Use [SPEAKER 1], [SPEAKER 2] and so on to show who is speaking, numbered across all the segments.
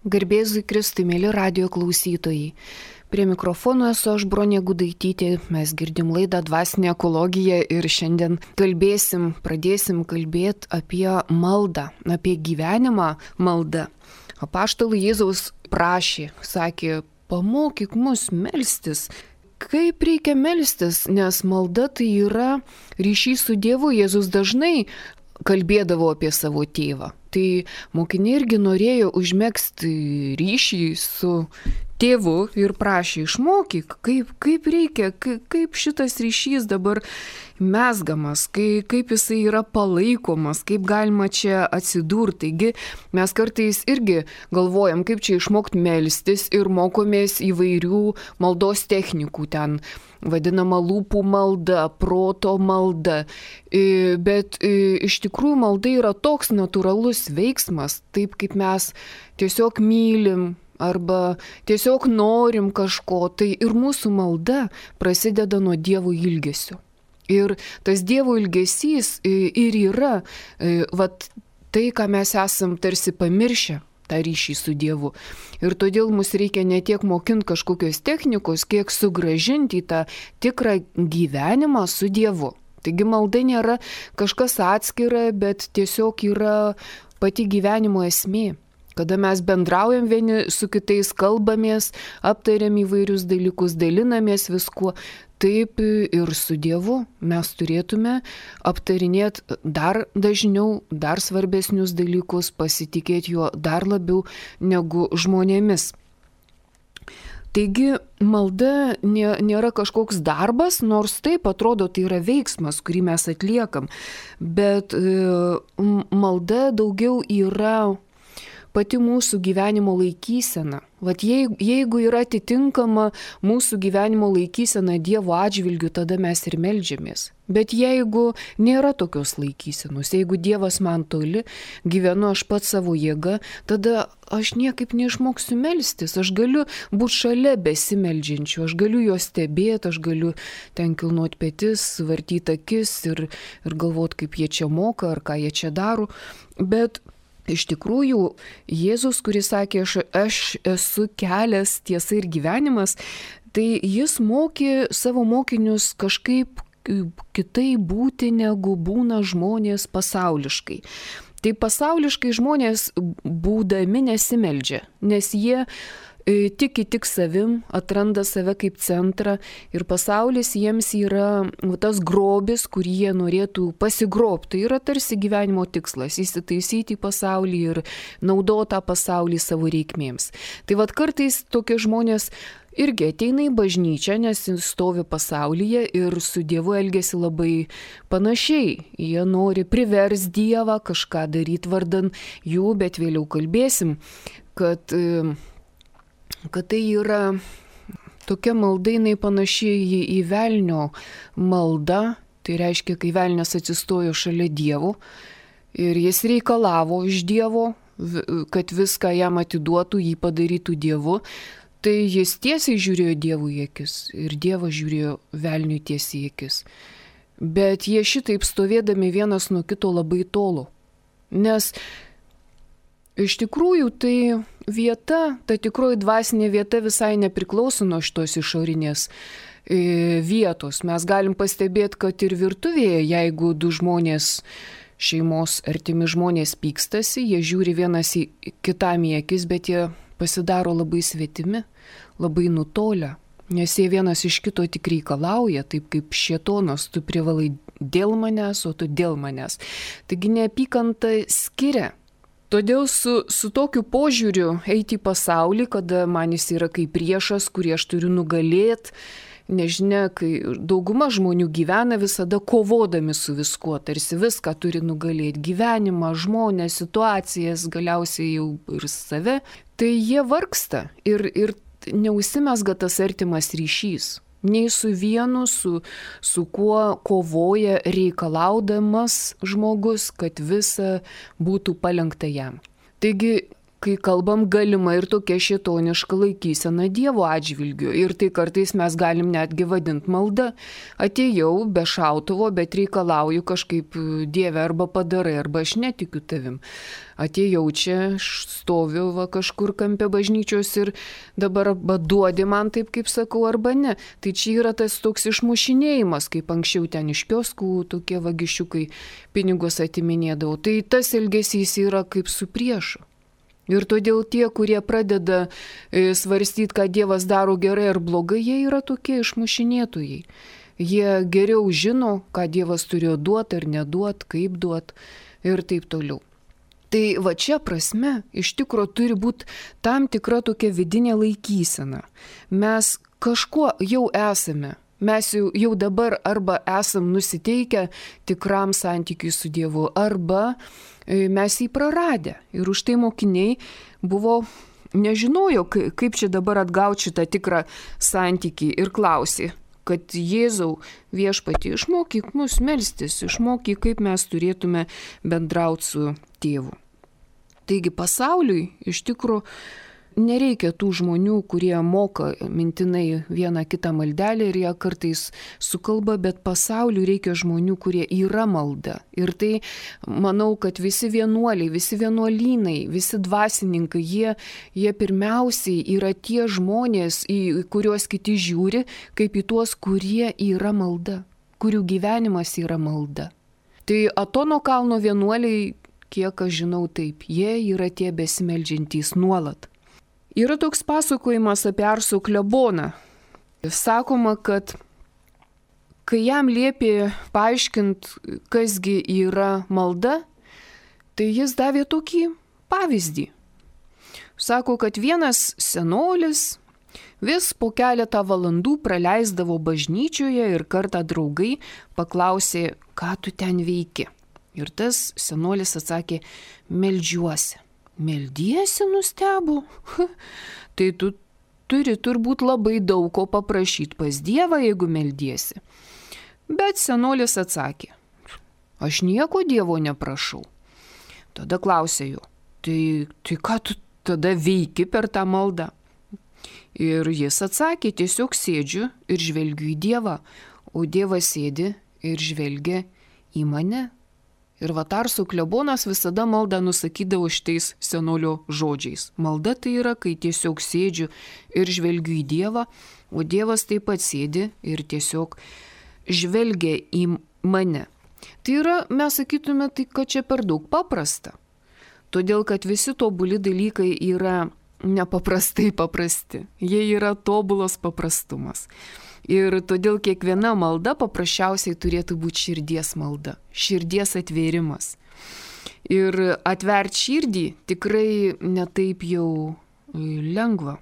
[SPEAKER 1] Garbėzui Kristui, mėly radio klausytojai. Prie mikrofono esu aš, Bronė Gudaitytė. Mes girdim laidą Dvasinė ekologija ir šiandien pradėsim kalbėti apie maldą, apie gyvenimą maldą. Apaštalų Jėzaus prašė, sakė, pamokyk mus melstis. Kaip reikia melstis, nes malda tai yra ryšys su Dievu. Jėzus dažnai kalbėdavo apie savo tėvą. Tai mokiniai irgi norėjo užmegzti ryšį su tėvu ir prašė išmokyk, kaip reikia, kaip šitas ryšys dabar mezgamas, kaip jisai yra palaikomas, kaip galima čia atsidurti. Taigi mes kartais irgi galvojam, kaip čia išmokti melstis ir mokomės įvairių maldos technikų ten. Vadinama lūpų malda, proto malda. Bet iš tikrųjų malda yra toks natūralus veiksmas, taip kaip mes tiesiog mylim arba tiesiog norim kažko, tai ir mūsų malda prasideda nuo Dievo ilgesio. Ir tas Dievo ilgesys ir yra tai, ką mes esam tarsi pamiršę, tą ryšį su Dievu. Ir todėl mums reikia ne tiek mokinti kažkokios technikos, kiek sugrąžinti į tą tikrą gyvenimą su Dievu. Taigi malda nėra kažkas atskira, bet tiesiog yra pati gyvenimo esmė. Kada mes bendraujam vieni su kitais, kalbamės, aptariam įvairius dalykus, dalinamės viskuo, taip ir su Dievu mes turėtume aptarinėti dar dažniau, dar svarbesnius dalykus, pasitikėti juo dar labiau negu žmonėmis. Taigi malda nėra kažkoks darbas, nors taip atrodo tai yra veiksmas, kurį mes atliekam, bet malda daugiau yra pati mūsų gyvenimo laikysena. Vat jeigu yra atitinkama mūsų gyvenimo laikysena Dievo atžvilgiu, tada mes ir meldžiamės. Bet jeigu nėra tokios laikysenos, jeigu Dievas man toli, gyvenu aš pats savo jėga, tada aš niekaip neišmoksiu melstis. Aš galiu būti šalia besimeldžiančių, aš galiu juos stebėti, aš galiu ten kilnoti petis, vartyti akis ir galvoti, kaip jie čia moka ar ką jie čia daro. Bet iš tikrųjų, Jėzus, kuris sakė, aš esu kelias, tiesa ir gyvenimas, tai jis mokė savo mokinius kažkaip kitaip būti, negu būna žmonės pasauliškai. Tai pasauliškai žmonės būdami nesimeldžia, nes jie tiki tik savim, atranda save kaip centrą ir pasaulis jiems yra tas grobis, kurį jie norėtų pasigrobti. Tai yra tarsi gyvenimo tikslas - įsitaisyti į pasaulį ir naudoti tą pasaulį savo reikmėms. Tai vat kartais tokie žmonės irgi ateina į bažnyčią, nes stovi pasaulyje ir su Dievu elgiasi labai panašiai. Jie nori privers Dievą kažką daryti vardan jų, bet vėliau kalbėsim, kad tai yra tokia malda, jinai panašiai į velnio maldą, tai reiškia, kai velnias atsistojo šalia Dievo ir jis reikalavo iš Dievo, kad viską jam atiduotų, jį padarytų Dievu, tai jis tiesiai žiūrėjo Dievui į akis ir Dievas žiūrėjo velniui tiesiai į akis. Bet jie šitaip stovėdami vienas nuo kito labai tolo, nes iš tikrųjų tai vieta, ta tikroji dvasinė vieta visai nepriklauso nuo šitos išorinės vietos. Mes galim pastebėti, kad ir virtuvėje, jeigu du žmonės, šeimos artimi žmonės pykstasi, jie žiūri vienas į kitam į akis, bet jie pasidaro labai svetimi, labai nutolę, nes jie vienas iš kito tik reikalauja, taip kaip šėtonas, tu privalai dėl manęs, o tu dėl manęs. Taigi neapykanta skiria. Todėl su tokiu požiūriu eiti į pasaulį, kada man jis yra kaip priešas, kurį aš turiu nugalėti, nežinia, kai dauguma žmonių gyvena visada kovodami su viskuo, tarsi viską turi nugalėti, gyvenimą, žmonės, situacijas, galiausiai jau ir save, tai jie vargsta ir neužsimezga tas artimas ryšys. Nei su vienu, su kuo kovoja reikalaudamas žmogus, kad visa būtų palenkta jam. Taigi kai kalbam, galima ir tokia šėtoniška laikysena Dievo atžvilgiu. Ir tai kartais mes galim netgi vadinti malda. Atėjau be šautuvo, bet reikalauju kažkaip, Dieve, arba padarai, arba aš netikiu tavim. Atėjau čia, stoviu kažkur kampe bažnyčios ir dabar arba duodi man taip, kaip sakau, arba ne. Tai čia yra tas toks išmušinėjimas, kaip anksčiau ten iš kioskų tokie vagišiukai pinigus atiminėdavo. Tai tas elgesys yra kaip su priešu. Ir todėl tie, kurie pradeda svarstyti, ką Dievas daro gerai ar blogai, jie yra tokie išmušinėtojai. Jie geriau žino, ką Dievas turėjo duoti ar neduoti, kaip duoti ir taip toliau. Tai va čia prasme iš tikro turi būti tam tikra tokia vidinė laikysena. Mes kažkuo jau esame. Mes jau dabar arba esam nusiteikę tikram santykiui su Dievu, arba mes jį praradę. Ir už tai mokiniai nežinojo, kaip čia dabar atgauti šitą tikrą santykį ir klausė, kad Jėzau viešpatie, išmokyk mus melstis, išmokyk, kaip mes turėtume bendrauti su Tėvu. Taigi pasauliui iš tikrųjų nereikia tų žmonių, kurie moka mintinai vieną kitą maldelę ir ją kartais sukalba, bet pasauliui reikia žmonių, kurie yra malda. Ir tai manau, kad visi vienuoliai, visi vienuolynai, visi dvasininkai, jie pirmiausiai yra tie žmonės, į kuriuos kiti žiūri, kaip į tuos, kurie yra malda, kurių gyvenimas yra malda. Tai Atono kalno vienuoliai, kiek aš žinau, taip, jie yra tie besimeldžiantys nuolat. Yra toks pasakojimas apie Arso kleboną. Sakoma, kad kai jam liepė paaiškinti, kasgi yra malda, tai jis davė tokį pavyzdį. Sako, kad vienas senolis vis po keletą valandų praleisdavo bažnyčioje ir kartą draugai paklausė, ką tu ten veiki. Ir tas senolis atsakė, meldžiuosi. Meldiesi, nustebo? Tai tu turi turbūt labai daug ko paprašyti pas Dievą, jeigu meldiesi. Bet senolis atsakė, aš nieko Dievo neprašau. Tada klausė jo, tai ką tu tada veiki per tą maldą? Ir jis atsakė, tiesiog sėdžiu ir žvelgiu į Dievą, o Dievas sėdi ir žvelgia į mane. Ir Arso klebonas visada maldą nusakydavo šitais senolio žodžiais. Malda tai yra, kai tiesiog sėdžiu ir žvelgiu į Dievą, o Dievas taip pat sėdi ir tiesiog žvelgia į mane. Tai yra, mes sakytume, tai kad čia per daug paprasta. Todėl, kad visi tobuli dalykai yra nepaprastai paprasti. Jie yra tobulos paprastumas. Ir todėl kiekviena malda paprasčiausiai turėtų būti širdies malda, širdies atvėrimas. Ir atverti širdį tikrai netaip jau lengva.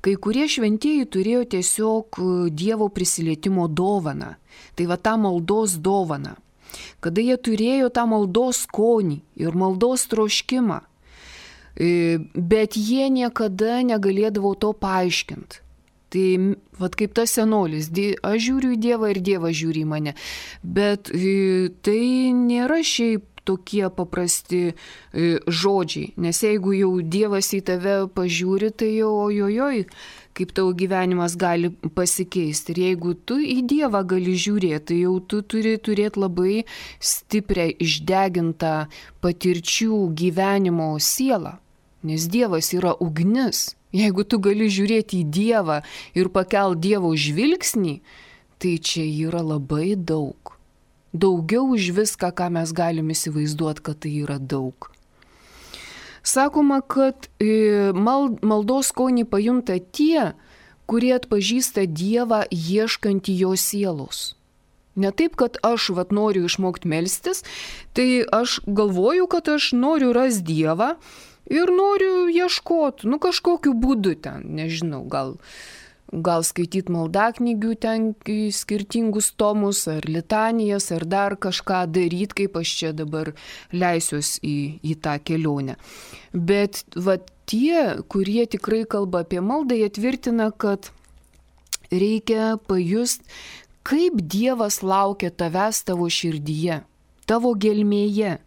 [SPEAKER 1] Kai kurie šventieji turėjo tiesiog Dievo prisilietimo dovaną, tai va tą maldos dovaną, kada jie turėjo tą maldos skonį ir maldos troškimą, bet jie niekada negalėdavo to paaiškinti. Tai vat kaip tas senolis, aš žiūriu į Dievą ir Dievas žiūri į mane. Bet tai nėra šiaip tokie paprasti žodžiai, nes jeigu jau Dievas į tave pažiūri, tai jau ojojoj, kaip tavo gyvenimas gali pasikeisti. Ir jeigu tu į Dievą gali žiūrėti, tai jau tu turi turėti labai stiprią išdegintą patirčių gyvenimo sielą, nes Dievas yra ugnis. Jeigu tu gali žiūrėti į Dievą ir pakelt Dievo žvilgsnį, tai čia yra labai daug. Daugiau už viską, ką mes galim įsivaizduoti, kad tai yra daug. Sakoma, kad maldos skonį pajunta tie, kurie atpažįsta Dievą ieškantį jo sielos. Ne taip, kad aš noriu išmokti melstis, tai aš galvoju, kad aš noriu rasti Dievą, ir noriu ieškoti, kažkokiu būdu ten, nežinau, gal skaityti maldaknygių ten skirtingus tomus, ar litanijas, ar dar kažką daryti, kaip aš čia dabar leisiuos į tą kelionę. Bet tie, kurie tikrai kalba apie maldą, jie tvirtina, kad reikia pajusti, kaip Dievas laukia tavęs tavo širdyje, tavo gelmėje.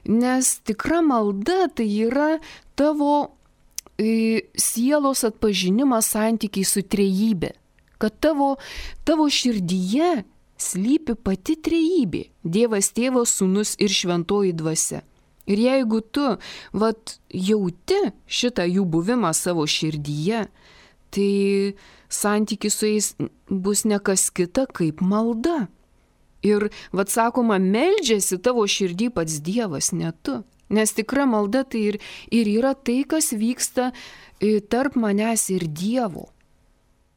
[SPEAKER 1] Nes tikra malda tai yra tavo sielos atpažinimas santykiai su trejybė. Kad tavo širdyje slypi pati trejybė. Dievas Tėvas, Sūnus ir Šventoji Dvasia. Ir jeigu tu jauti šitą jų buvimą savo širdyje, tai santykis su jais bus ne kas kita kaip malda. Ir sakoma, meldžiasi tavo širdį pats Dievas, ne tu. Nes tikra malda tai ir yra tai, kas vyksta tarp manęs ir Dievo.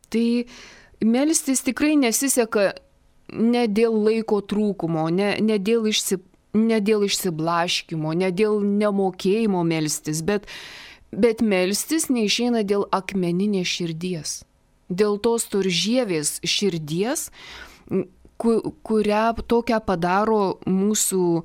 [SPEAKER 1] Tai melstis tikrai nesiseka ne dėl laiko trūkumo, ne dėl išsiblaškymo, ne dėl nemokėjimo melstis, bet melstis neišeina dėl akmeninės širdies. Dėl tos turžievės širdies, kurią tokią padaro mūsų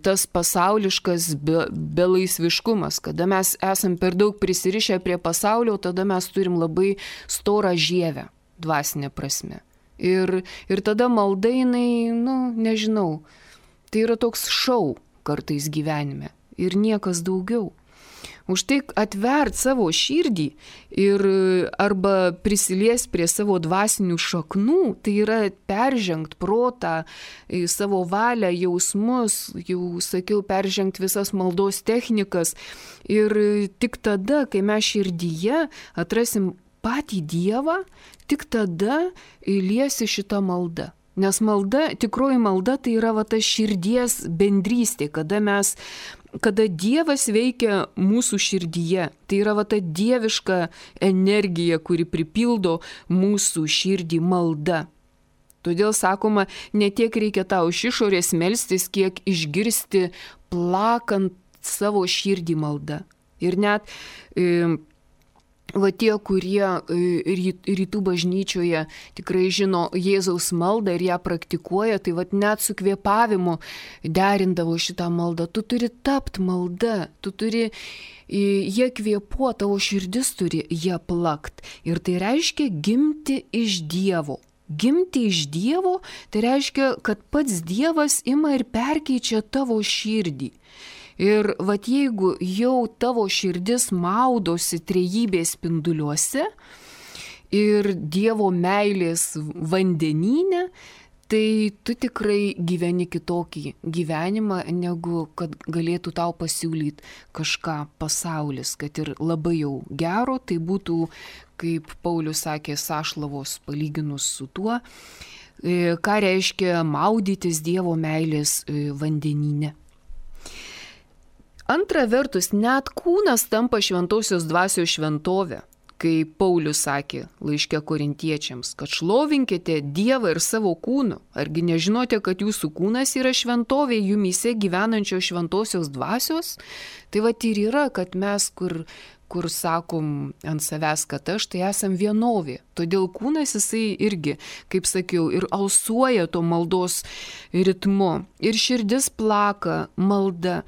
[SPEAKER 1] tas pasauliškas belaisviškumas, kada mes esam per daug prisirišę prie pasaulio, tada mes turim labai storą žievę, dvasinė prasme. Ir tada malda jinai, nežinau, tai yra toks šou kartais gyvenime ir niekas daugiau. Už tai atvert savo širdį ir arba prisilies prie savo dvasinių šaknų, tai yra peržengt protą, savo valią, jausmus, jau sakiau, peržengt visas maldos technikas. Ir tik tada, kai mes širdyje atrasim patį Dievą, tik tada liesi šitą maldą. Nes tikroji malda tai yra ta širdies bendrystė, kada Dievas veikia mūsų širdyje. Tai yra ta dieviška energija, kuri pripildo mūsų širdį malda. Todėl sakoma, ne tiek reikia tau iš išorės melstis, kiek išgirsti plakant savo širdį maldą. Ir net tie, kurie rytų bažnyčioje tikrai žino Jėzaus maldą ir ją praktikuoja, tai net su kvėpavimu derindavo šitą maldą. Tu turi tapti malda, tu turi jie kvėpuoti, tavo širdis turi jie plakt. Ir tai reiškia gimti iš Dievo. Gimti iš Dievo, tai reiškia, kad pats Dievas ima ir perkeičia tavo širdį. Ir jeigu jau tavo širdis maudosi trejybės spinduliuose ir Dievo meilės vandenyne, tai tu tikrai gyveni kitokį gyvenimą, negu kad galėtų tau pasiūlyti kažką pasaulis, kad ir labai jau gero, tai būtų, kaip Paulius sakė, sąšlavos palyginus su tuo, ką reiškia maudytis Dievo meilės vandenyne. Antra vertus, net kūnas tampa šventosios dvasios šventovė, kai Paulius sakė laiške Korintiečiams, kad šlovinkite Dievą ir savo kūnu. Argi nežinote, kad jūsų kūnas yra šventovė jumyse gyvenančios šventosios dvasios? Tai ir yra, kad mes, kur sakom ant savęs, kad aš, tai esam vienovė. Todėl kūnas jisai irgi, kaip sakiau, ir alsuoja to maldos ritmu. Ir širdis plaka malda.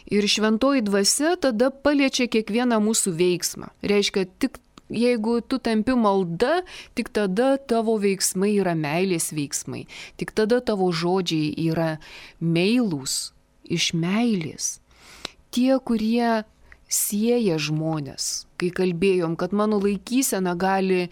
[SPEAKER 1] Ir šventoji dvasia tada paliečia kiekvieną mūsų veiksmą. Reiškia, tik jeigu tu tampi malda, tik tada tavo veiksmai yra meilės veiksmai. Tik tada tavo žodžiai yra meilūs, iš meilės. Tie, kurie sieja žmonės, kai kalbėjom, kad mano laikysena galiu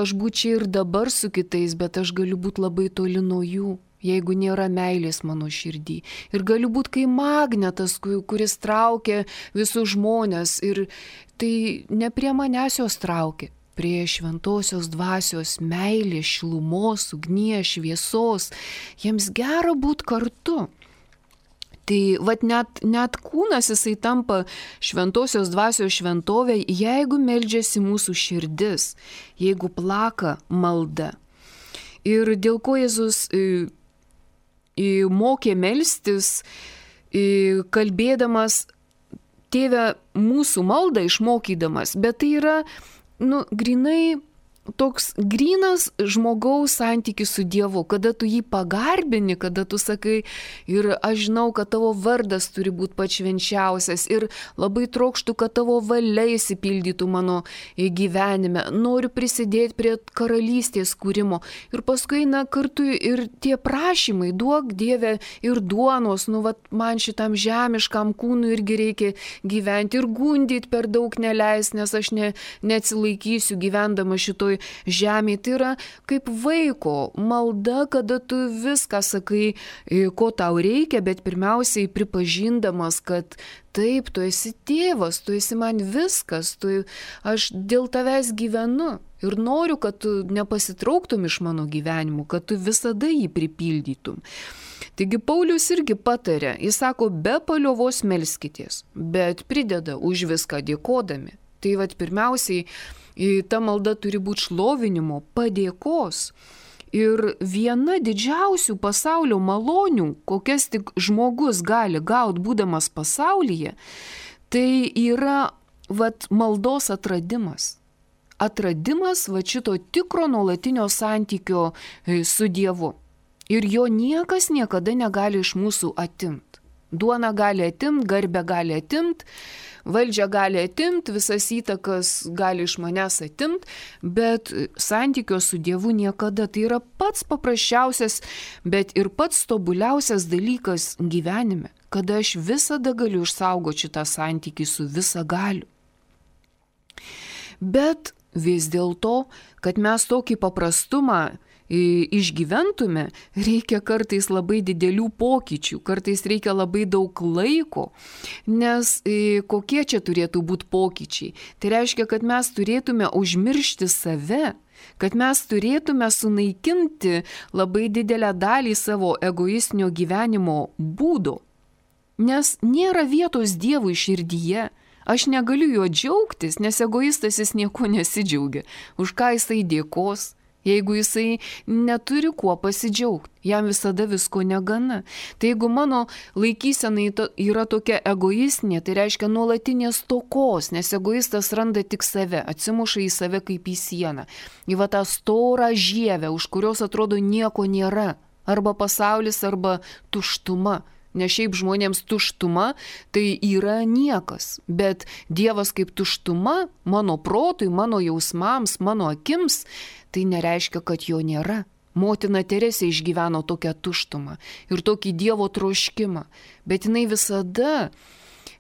[SPEAKER 1] aš būti čia ir dabar su kitais, bet aš galiu būti labai toli nuo jų, jeigu nėra meilės mano širdį. Ir galiu būti kaip magnetas, kuris traukia visus žmonės. Ir tai ne prie manęs jos traukia, prie šventosios dvasios meilės, šilumos, ugnies, šviesos. Jiems gera būti kartu. Tai net kūnas jisai tampa šventosios dvasios šventovė, jeigu meldžiasi mūsų širdis, jeigu plaka malda. Ir dėl ko Jėzus mokė melstis, kalbėdamas Tėve mūsų maldą išmokydamas, bet tai yra grinai toks grynas žmogaus santykis su Dievu, kada tu jį pagarbini, kada tu sakai ir aš žinau, kad tavo vardas turi būti pats švenčiausias ir labai trokštų, kad tavo valia įsipildytų mano gyvenime, noriu prisidėti prie karalystės kūrimo ir paskui eina kartu ir tie prašymai, duok Dieve ir duonos, man šitam žemiškam kūnui irgi reikia gyventi ir gundyti per daug neleis, nes aš neatsilaikysiu gyvendama šitoj žemėje. Tai yra kaip vaiko malda, kada tu viską sakai, ko tau reikia, bet pirmiausiai pripažindamas, kad taip, tu esi tėvas, tu esi man viskas, aš dėl tavęs gyvenu ir noriu, kad tu nepasitrauktum iš mano gyvenimo, kad tu visada jį pripildytum. Taigi Paulius irgi patarė, jis sako, be paliovos melskitės, bet prideda už viską dėkodami. Tai pirmiausiai ta malda turi būti šlovinimo, padėkos. Ir viena didžiausių pasaulio malonių, kokias tik žmogus gali gauti būdamas pasaulyje, tai yra maldos atradimas. Atradimas šito tikro nuolatinio santykio su Dievu. Ir jo niekas niekada negali iš mūsų atimti. Duona gali atimti, garbę gali atimti, valdžią gali atimti, visas įtakas gali iš manęs atimti, bet santykio su Dievu niekada. Tai yra pats paprasčiausias, bet ir pats tobuliausias dalykas gyvenime, kada aš visada galiu išsaugoti šitą santykį su visagaliu. Bet vis dėlto, kad mes tokį paprastumą išgyventume, reikia kartais labai didelių pokyčių, kartais reikia labai daug laiko, nes kokie čia turėtų būti pokyčiai? Tai reiškia, kad mes turėtume užmiršti save, kad mes turėtume sunaikinti labai didelę dalį savo egoistinio gyvenimo būdo, nes nėra vietos Dievui širdyje. Aš negaliu juo džiaugtis, nes egoistas jis nieko nesidžiaugia. Už ką jisai dėkos? Jeigu jisai neturi kuo pasidžiaugti, jam visada visko negana. Tai jeigu mano laikysena yra tokia egoistinė, tai reiškia nuolatinės stokos, nes egoistas randa tik save, atsimuša į save kaip į sieną. Į tą storą žievę, už kurios atrodo nieko nėra. Arba pasaulis, arba tuštuma. Nes šiaip žmonėms tuštuma tai yra niekas, bet Dievas kaip tuštuma mano protui, mano jausmams, mano akims, tai nereiškia, kad jo nėra. Motina Teresė išgyveno tokią tuštumą ir tokį Dievo troškimą, bet jinai visada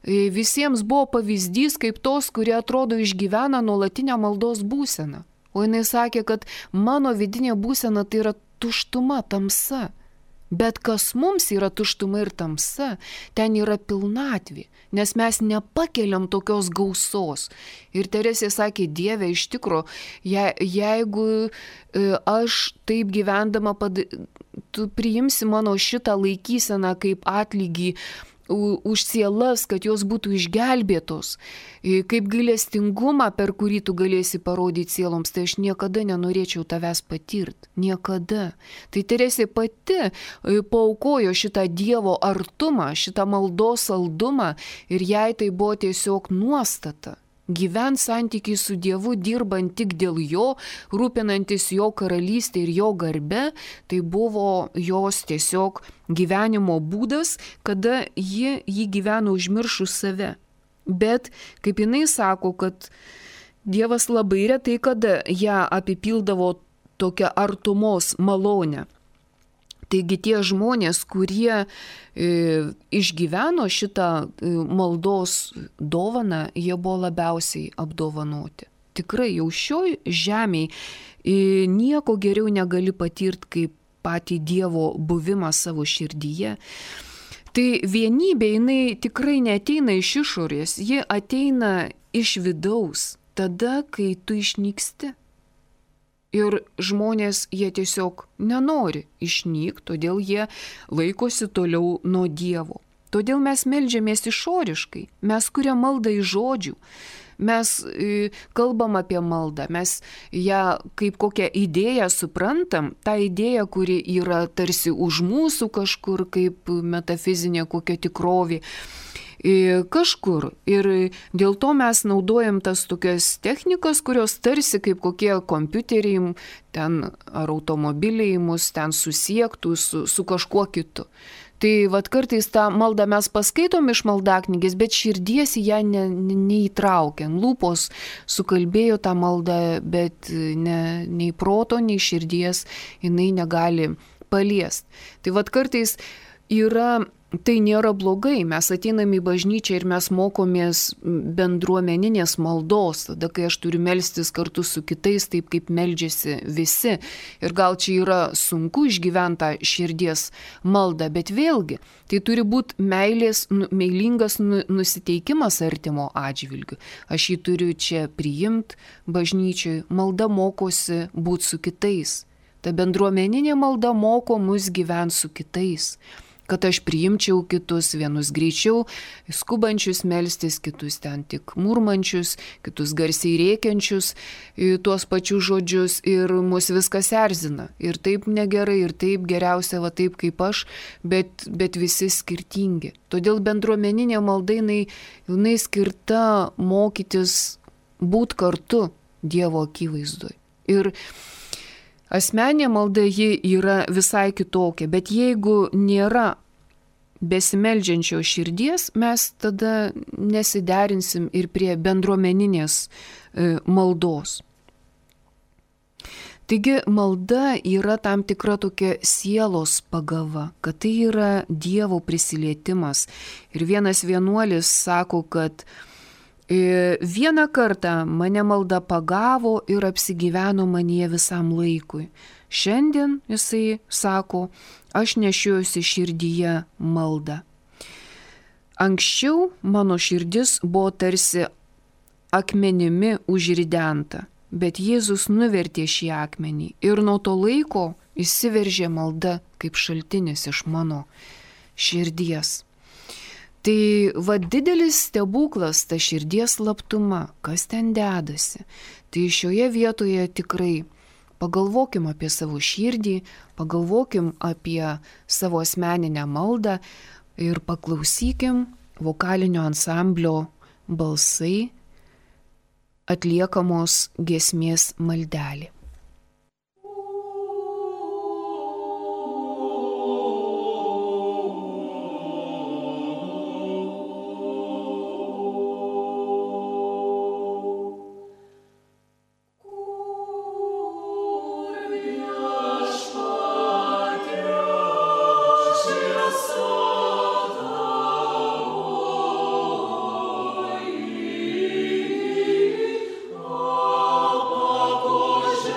[SPEAKER 1] visiems buvo pavyzdys kaip tos, kurie atrodo išgyvena nuolatinę maldos būseną. O jinai sakė, kad mano vidinė būsena tai yra tuštuma, tamsa. Bet kas mums yra tuštuma ir tamsa, ten yra pilnatvė, nes mes nepakeliam tokios gausos. Ir Teresė sakė, Dieve, iš tikro, jeigu aš taip gyvendama, tu priimsi mano šitą laikyseną kaip atlygį už sielas, kad jos būtų išgelbėtos, kaip gailestingumą, per kurį tu galėsi parodyti sieloms, tai aš niekada nenorėčiau tavęs patirti. Niekada. Tai Teresė pati paaukojo šitą Dievo artumą, šitą maldos saldumą ir jai tai buvo tiesiog nuostata. Gyvent santykiai su Dievu, dirbant tik dėl jo, rūpinantis jo karalystė ir jo garbe, tai buvo jos tiesiog gyvenimo būdas, kada ji gyveno užmiršus save. Bet, kaip jinai sako, kad Dievas labai retai kada ją apipildavo tokią artumos malonę. Taigi tie žmonės, kurie išgyveno šitą maldos dovaną, jie buvo labiausiai apdovanoti. Tikrai jau šioj žemėje nieko geriau negali patirti kaip patį Dievo buvimą savo širdyje. Tai vienybė, jinai tikrai neateina iš išorės, ji ateina iš vidaus, tada, kai tu išnyksti. Ir žmonės, jie tiesiog nenori išnykti, todėl jie laikosi toliau nuo Dievo. Todėl mes meldžiamės išoriškai, mes kuriam maldą iš žodžių, mes kalbam apie maldą, mes ją kaip kokią idėją suprantam, tą idėją, kuri yra tarsi už mūsų kažkur kaip metafizinė kokia tikrovė. kažkur. Ir dėl to mes naudojam tas tokias technikas, kurios tarsi kaip kokie kompiuteriai ten ar automobiliai mus ten susiektų su kažkuo kitu. Tai vat kartais tą maldą mes paskaitom iš maldaknygės, bet širdies į ją neįtraukiam. Lūpos sukalbėjo tą maldą, bet nei proto, nei širdies jinai negali paliest. Tai vat kartais tai nėra blogai, mes ateinam į bažnyčią ir mes mokomės bendruomeninės maldos, tada kai aš turiu melstis kartu su kitais, taip kaip meldžiasi visi. Ir gal čia yra sunku išgyventą širdies maldą, bet vėlgi, tai turi būti meilingas nusiteikimas artimo atžvilgiu. Aš jį turiu čia priimti bažnyčioj, malda mokosi būti su kitais. Ta bendruomeninė malda moko mus gyventi su kitais. Kad aš priimčiau kitus, vienus greičiau skubančius melstis, kitus ten tik murmančius, kitus garsiai rėkiančius tuos pačius žodžius ir mus viskas erzina. Ir taip negerai, ir taip geriausia, va taip kaip aš, bet visi skirtingi. Todėl bendruomeninė malda jinai skirta mokytis būt kartu Dievo akivaizdoj. Ir asmeninė malda ji yra visai kitokia, bet jeigu nėra besimeldžiančio širdies, mes tada nesiderinsim ir prie bendruomeninės maldos. Taigi malda yra tam tikra tokia sielos pagava, kad tai yra Dievo prisilietimas. Ir vienas vienuolis sako, kad vieną kartą mane malda pagavo ir apsigyveno manyje visam laikui. Šiandien, jisai sako, aš nešiojuosi širdyje maldą. Anksčiau mano širdis buvo tarsi akmenimi užridenta, bet Jėzus nuvertė šį akmenį ir nuo to laiko įsiveržė malda kaip šaltinis iš mano širdies. Tai didelis stebuklas ta širdies slaptuma, kas ten dedasi. Tai šioje vietoje tikrai pagalvokim apie savo širdį, pagalvokim apie savo asmeninę maldą ir paklausykim vokalinio ansamblio balsai atliekamos giesmės maldelė.
[SPEAKER 2] Bože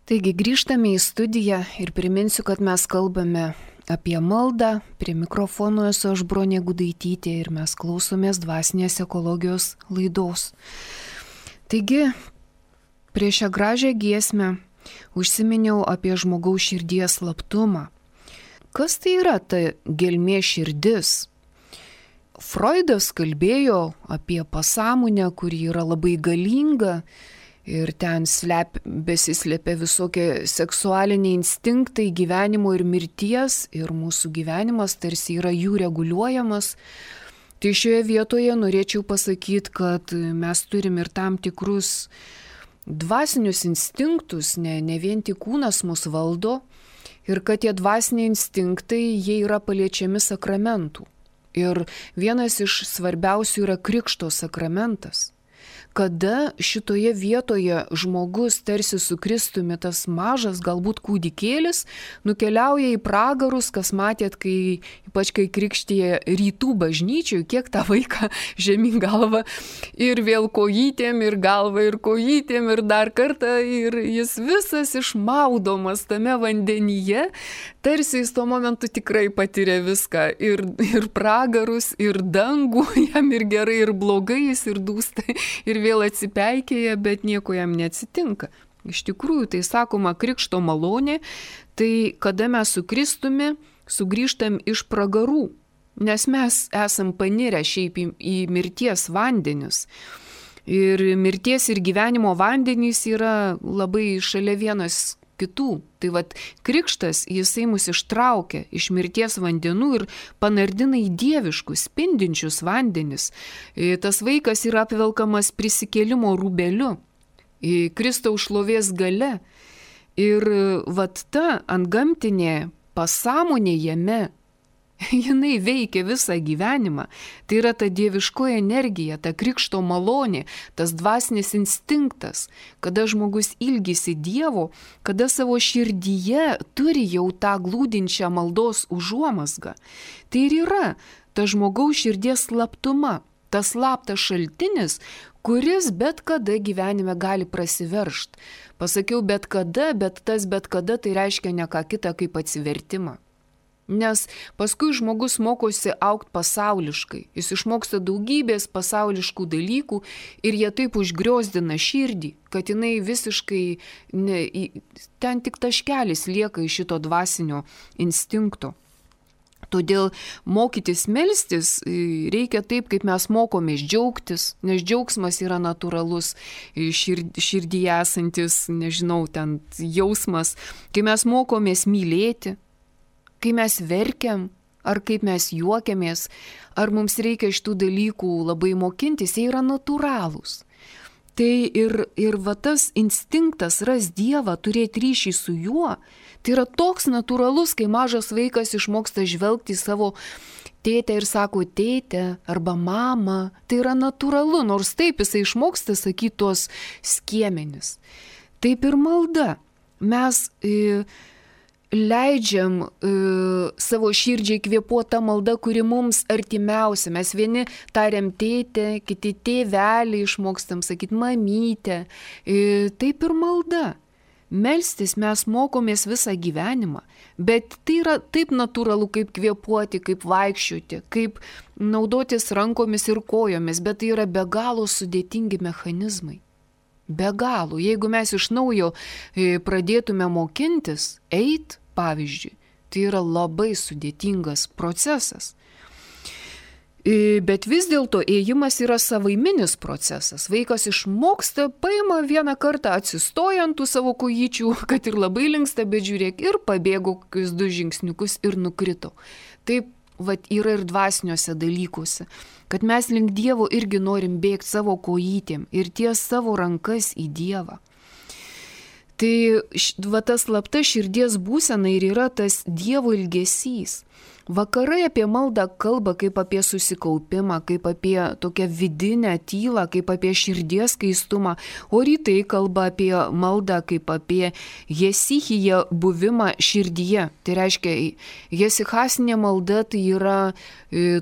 [SPEAKER 1] Taigi grįžtame į studiją ir priminsiu, kad mes kalbame apie maldą. Prie mikrofono esu aš Bronė Gudaitytė ir mes klausomės dvasinės ekologijos laidos. Taigi, prieš šią gražią giesmę užsiminiau apie žmogaus širdies slaptumą. Kas tai yra ta gelmė širdis? Freudas kalbėjo apie pasąmonę, kuri yra labai galinga, ir ten besislepia visokie seksualiniai instinktai gyvenimo ir mirties, ir mūsų gyvenimas tarsi yra jų reguliuojamas. Tai šioje vietoje norėčiau pasakyti, kad mes turim ir tam tikrus dvasinius instinktus, ne vien tik kūnas mus valdo, ir kad tie dvasiniai instinktai, jie yra paliečiami sakramentų. Ir vienas iš svarbiausių yra krikšto sakramentas. Kada šitoje vietoje žmogus tarsi su Kristumi, tas mažas, galbūt kūdikėlis, nukeliauja į pragarus, kas matėt, ypač kai krikštija rytų bažnyčioj, kiek tą vaiką žemyn galvą ir vėl kojytėm, ir galvą, ir kojytėm, ir dar kartą, ir jis visas išmaudomas tame vandenyje, tarsi jis tuo momentu tikrai patiria viską, ir pragarus, ir dangų, jam ir gerai, ir blogai, jis ir dūsta, ir vėl atsipeikėja, bet nieko jam neatsitinka. Iš tikrųjų, tai sakoma krikšto malonė, tai kada mes su Kristumi sugrįžtam iš pragarų, nes mes esam panirę šiaip į mirties vandenius. Ir mirties ir gyvenimo vandenys yra labai šalia vienas kitų. Tai vat krikštas, jisai mus ištraukia iš mirties vandenų ir panardina į dieviškus, spindinčius vandenis. Tas vaikas yra apvelkamas prisikėlimo rūbeliu, Kristaus šlovės gale. Ir vat ta antgamtinė pasąmonė jame, jinai veikia visą gyvenimą. Tai yra ta dieviškoji energija, ta krikšto malonė, tas dvasinis instinktas, kada žmogus ilgisi Dievo, kada savo širdyje turi jau tą glūdinčią maldos užuomazgą. Tai ir yra ta žmogaus širdies slaptuma, tas slaptas šaltinis, kuris bet kada gyvenime gali prasiveržt. Pasakiau bet kada, bet tas bet kada tai reiškia ne ką kitą kaip atsivertimą. Nes paskui žmogus mokosi augti pasauliškai, jis išmoksta daugybės pasauliškų dalykų ir jie taip užgriozdina širdį, kad jinai visiškai, ten tik taškelis lieka iš šito dvasinio instinkto. Todėl mokytis melstis reikia taip, kaip mes mokomės džiaugtis, nes džiaugsmas yra natūralus širdyje esantis, ten jausmas, kai mes mokomės mylėti, kai mes verkiam, ar kaip mes juokiamės, ar mums reikia šitų dalykų labai mokintis, jie yra natūralūs. Tai ir va tas instinktas ras Dievą, turėti ryšį su juo, tai yra toks natūralus, kai mažas vaikas išmoksta žvelgti į savo tėtę ir sako tėtė arba mama. Tai yra natūralu, nors taip jisai išmoksta sakyti tuos skiemenis. Taip ir malda. Mes leidžiam savo širdžiai kvėpuoti tą maldą, kuri mums artimiausia. Mes vieni tariam tėtė, kiti tėvelį, išmokstam sakyti mamytė. Taip ir malda. Melstis mes mokomės visą gyvenimą, bet tai yra taip natūralu, kaip kvėpuoti, kaip vaikščioti, kaip naudotis rankomis ir kojomis, bet tai yra be galo sudėtingi mechanizmai. Be galo. Jeigu mes iš naujo pradėtume mokintis, pavyzdžiui, tai yra labai sudėtingas procesas. Bet vis dėlto ėjimas yra savaiminis procesas. Vaikas išmoksta, paima vieną kartą, atsistoja ant tų savo kojyčių, kad ir labai linksta, bet žiūrėk, ir pabėgo kokius 2 žingsniukus ir nukrito. Taip yra ir dvasiniuose dalykuose, kad mes link Dievo irgi norim bėgti savo kojytėm ir ties savo rankas į Dievą. Tai tas slapta širdies būsena ir yra tas Dievo ilgesys. Vakarai apie maldą kalba kaip apie susikaupimą, kaip apie tokią vidinę tylą, kaip apie širdies skaistumą, o rytai kalba apie maldą kaip apie jesichiją buvimą širdyje. Tai reiškia, jesichasinė malda tai yra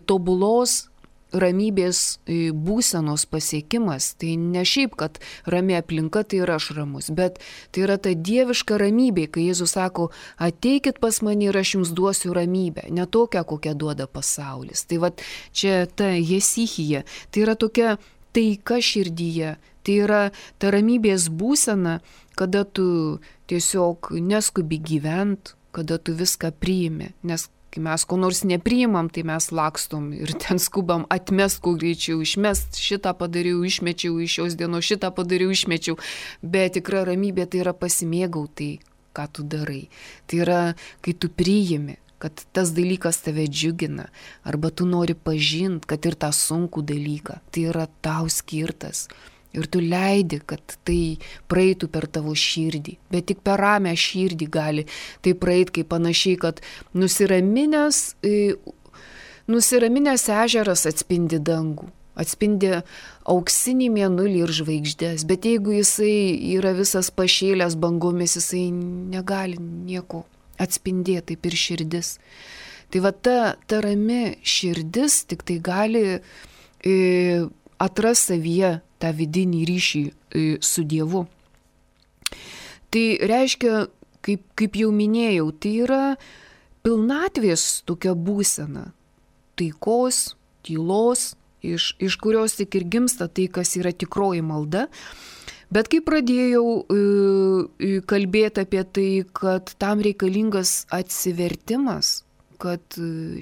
[SPEAKER 1] tobulos ramybės būsenos pasiekimas. Tai ne šiaip, kad rami aplinka, tai ir aš ramus, bet tai yra ta dieviška ramybė, kai Jėzus sako, ateikit pas mane ir aš jums duosiu ramybę, ne tokią, kokią duoda pasaulis. Tai vat čia ta jesichija, tai yra tokia taika širdyje, tai yra ta ramybės būsena, kada tu tiesiog neskubi gyvent, kada tu viską priimi, nes kai mes ko nors nepriimam, tai mes lakstom ir ten skubam atmest kuo greičiau, išmest šitą padariau, išmečiau iš šios dienos, šitą padariau, išmečiau. Bet tikra ramybė tai yra pasimėgauti, ką tu darai. Tai yra, kai tu priimi, kad tas dalykas tave džiugina, arba tu nori pažinti, kad ir tą sunkų dalyką, tai yra tau skirtas. Ir tu leidi, kad tai praeitų per tavo širdį. Bet tik per ramią širdį gali tai praeiti, kaip panašiai, kad nusiraminęs ežeras atspindi dangų, atspindi auksinį mėnulį ir žvaigždės. Bet jeigu jisai yra visas pašėlęs bangomis, jisai negali nieko atspindėti, taip ir širdis. Tai va ta rami širdis tik tai gali atras savyje tą vidinį ryšį su Dievu. Tai reiškia, kaip jau minėjau, tai yra pilnatvės tokia būsena, taikos, tylos, iš kurios tik ir gimsta tai, kas yra tikroji malda. Bet kai pradėjau kalbėti apie tai, kad tam reikalingas atsivertimas, kad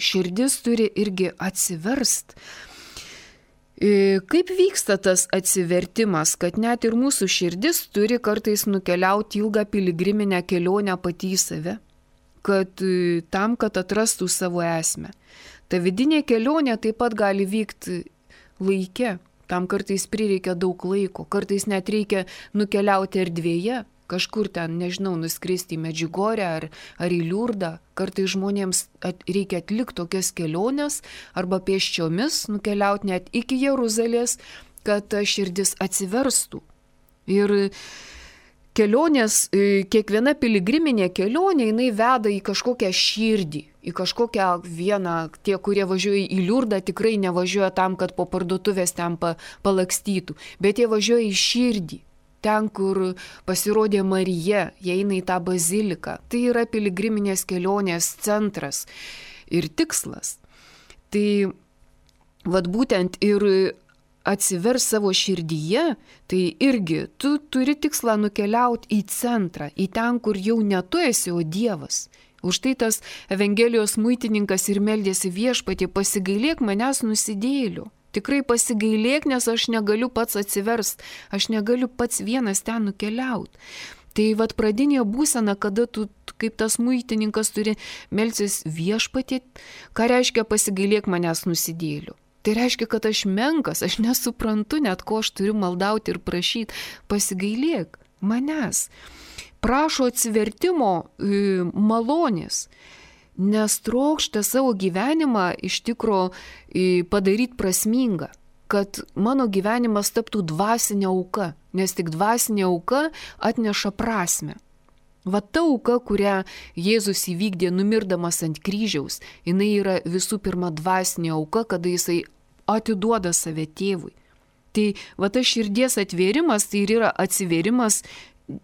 [SPEAKER 1] širdis turi irgi atsiverst, kaip vyksta tas atsivertimas, kad net ir mūsų širdis turi kartais nukeliauti ilgą piligriminę kelionę pati į save, kad tam, kad atrastų savo esmę. Ta vidinė kelionė taip pat gali vykti laike, tam kartais prireikia daug laiko, kartais net reikia nukeliauti erdvėje, kažkur ten, nežinau, nuskristi į Medžiugorę ar į Liurdą. Kartais žmonėms reikia atlikti tokias keliones arba pėsčiomis nukeliauti net iki Jeruzalės, kad ta širdis atsiverstų. Ir kelionės, kiekviena piligriminė kelionė, jinai veda į kažkokią širdį, į kažkokią vieną, tie, kurie važiuoja į Liurdą, tikrai nevažiuoja tam, kad po parduotuvės ten palakstytų, bet jie važiuoja į širdį. Ten, kur pasirodė Marija, jie eina į tą baziliką. Tai yra piligriminės kelionės centras ir tikslas. Tai vat būtent ir atsivers savo širdyje, tai irgi tu turi tikslą nukeliauti į centrą, į ten, kur jau ne tu esi, o Dievas. Už tai tas Evangelijos muitininkas ir meldėsi Viešpatie, pasigailėk manęs nusidėjėlių. Tikrai pasigailėk, nes aš negaliu pats atsiverst, aš negaliu pats vienas ten nukeliauti. Tai vat pradinė būsena, kada tu kaip tas muitininkas turi melstis Viešpatie, ką reiškia pasigailėk manęs nusidėlių. Tai reiškia, kad aš menkas, aš nesuprantu net, ko aš turiu maldauti ir prašyti, pasigailėk manęs. Prašo atsivertimo malonės. Nes trokšta savo gyvenimą iš tikro padaryti prasmingą, kad mano gyvenimas taptų dvasinė auka, nes tik dvasinė auka atneša prasmę. Va ta auka, kurią Jėzus įvykdė numirdamas ant kryžiaus, jinai yra visų pirma dvasinė auka, kada jisai atiduoda save tėvui. Tai va tas širdies atvėrimas, tai ir yra atsivėrimas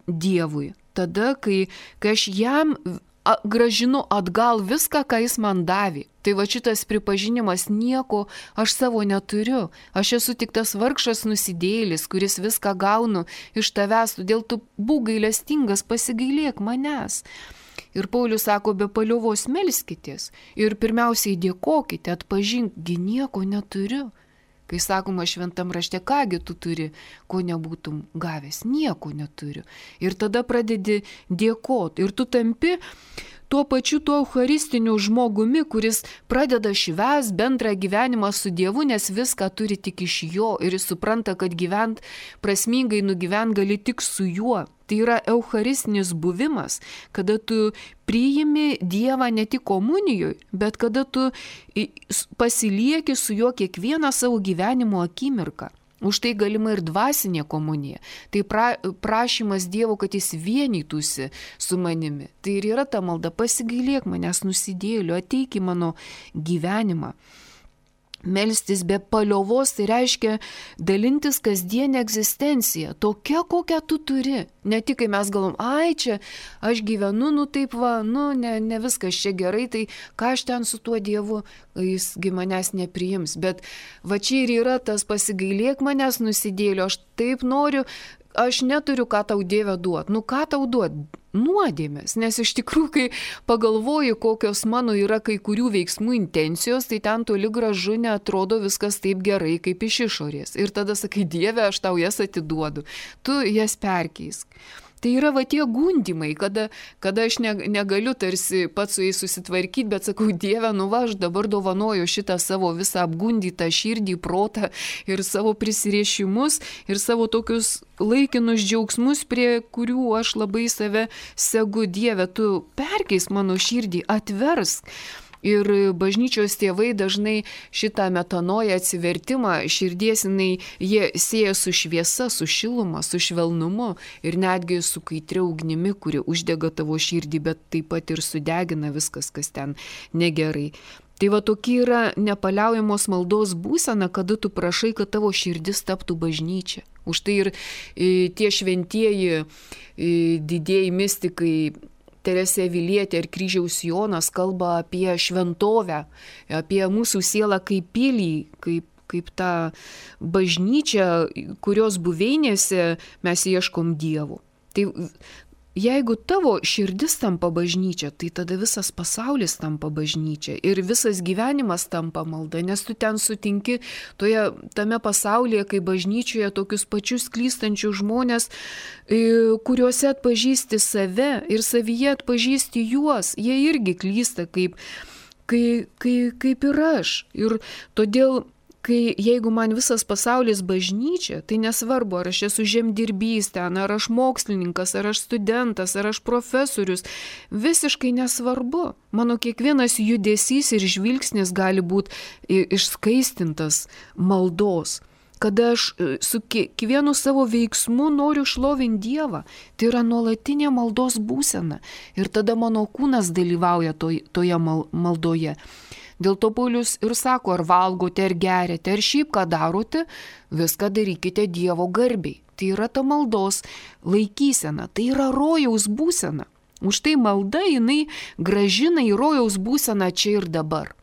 [SPEAKER 1] Dievui. Tada, kai aš jam gražinu atgal viską, ką jis man davė. Tai va šitas pripažinimas, nieko aš savo neturiu. Aš esu tik tas vargšas nusidėjėlis, kuris viską gaunu iš tavęs, todėl tu būk gailestingas, pasigailėk manęs. Ir Paulius sako, be paliovos melskitės ir pirmiausiai dėkokite, atpažinti, nieko neturiu. Kai sakoma šventam rašte, kągi tu turi, ko nebūtum gavęs, nieko neturiu. Ir tada pradedi dėkoti. Ir tu tampi tuo pačiu tuo eucharistiniu žmogumi, kuris pradeda švęst bendrą gyvenimą su Dievu, nes viską turi tik iš jo. Ir jis supranta, kad gyvent prasmingai nugyvent gali tik su juo. Tai yra eucharistinis buvimas, kada tu priimi Dievą ne tik komunijoje, bet kada tu pasilieki su juo kiekvieną savo gyvenimo akimirką. Už tai galima ir dvasinė komunija. Tai prašymas Dievo, kad jis vienytųsi su manimi. Tai ir yra ta malda, pasigailėk manęs nusidėjėlių, ateik į mano gyvenimą. Melstis be paliovos tai reiškia dalintis kasdienę egzistenciją, tokia, kokią tu turi. Ne tik, kai mes galvom, ai čia, aš gyvenu, taip va, ne viskas čia gerai, tai ką aš ten su tuo Dievu, jisgi manęs nepriims. Bet va čia ir yra tas pasigailėk manęs nusidėlio, aš taip noriu, aš neturiu ką tau Dieve duot. Ką tau duot? Nuodėmės, nes iš tikrųjų, kai pagalvoju, kokios mano yra kai kurių veiksmų intencijos, tai ten toli gražu neatrodo viskas taip gerai, kaip iš išorės. Ir tada sakai, Dieve, aš tau jas atiduodu, tu jas perkeisk. Tai yra va tie gundimai, kada aš negaliu tarsi pats su jais susitvarkyti, bet sakau, Dieve, aš dabar dovanoju šitą savo visą apgundytą širdį, protą ir savo prisiriešimus ir savo tokius laikinus džiaugsmus, prie kurių aš labai save segu. Dieve, tu perkeisk mano širdį, atversk. Ir bažnyčios tėvai dažnai šitą metanoją atsivertimą širdies jie sieja su šviesa, su šiluma, su švelnumu ir netgi su kaitria ugnimi, kuri uždega tavo širdį, bet taip pat ir sudegina viskas, kas ten negerai. Tai va tokia yra nepaliaujamos maldos būsena, kada tu prašai, kad tavo širdis taptų bažnyčia. Už tai ir tie šventieji didieji mistikai Teresė Avilietė ir Kryžiaus Jonas kalba apie šventovę, apie mūsų sielą kaip pilį, kaip tą bažnyčią, kurios buveinėse mes ieškom Dievo. Tai jeigu tavo širdis tampa bažnyčia, tai tada visas pasaulis tampa bažnyčia ir visas gyvenimas tampa malda, nes tu ten sutinki tame pasaulyje, kaip bažnyčioje, tokius pačius klystančius žmonės, kuriuose atpažįsti save ir savyje atpažįsti juos, jie irgi klysta kaip ir aš. Ir todėl jeigu man visas pasaulis bažnyčia, tai nesvarbu, ar aš esu žemdirbys ten, ar aš mokslininkas, ar aš studentas, ar aš profesorius, visiškai nesvarbu. Mano kiekvienas judesys ir žvilgsnis gali būti išskaistintas maldos. Kada aš su kiekvienu savo veiksmu noriu šlovinti Dievą, tai yra nuolatinė maldos būsena. Ir tada mano kūnas dalyvauja toje maldoje. Dėl to Paulius ir sako, ar valgote, ar geriate, ar šiaip ką darote, viską darykite Dievo garbiai. Tai yra ta maldos laikysena, tai yra rojaus būsena. Už tai malda jinai gražina į rojaus būseną čia ir dabar.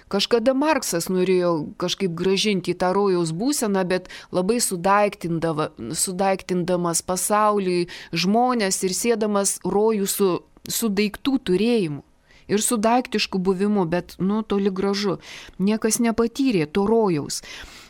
[SPEAKER 1] Kažkada Marksas norėjo kažkaip gražinti į tą rojaus būseną, bet labai sudaiktindamas pasaulį, žmonės ir sėdamas rojų su daiktų turėjimu. Ir su daiktišku buvimu, bet toli gražu. Niekas nepatyrė to rojaus.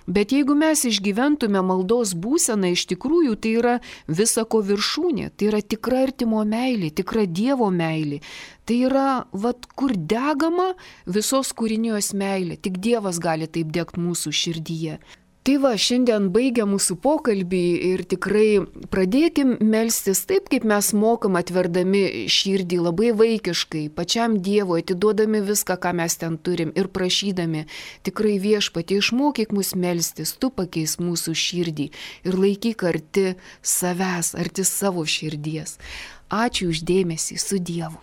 [SPEAKER 1] Bet jeigu mes išgyventume maldos būseną, iš tikrųjų tai yra visako viršūnė, tai yra tikra artimo meilė, tikra Dievo meilė. Tai yra, kur degama visos kūrinijos meilė, tik Dievas gali taip degti mūsų širdyje. Tai va, šiandien baigia mūsų pokalbį ir tikrai pradėkim melstis taip, kaip mes mokam, atverdami širdį labai vaikiškai, pačiam Dievui, atiduodami viską, ką mes ten turim ir prašydami, tikrai Viešpatie, išmokyk mus melstis, tu pakeis mūsų širdį ir laikyk arti savęs, arti savo širdies. Ačiū už dėmesį, su Dievu.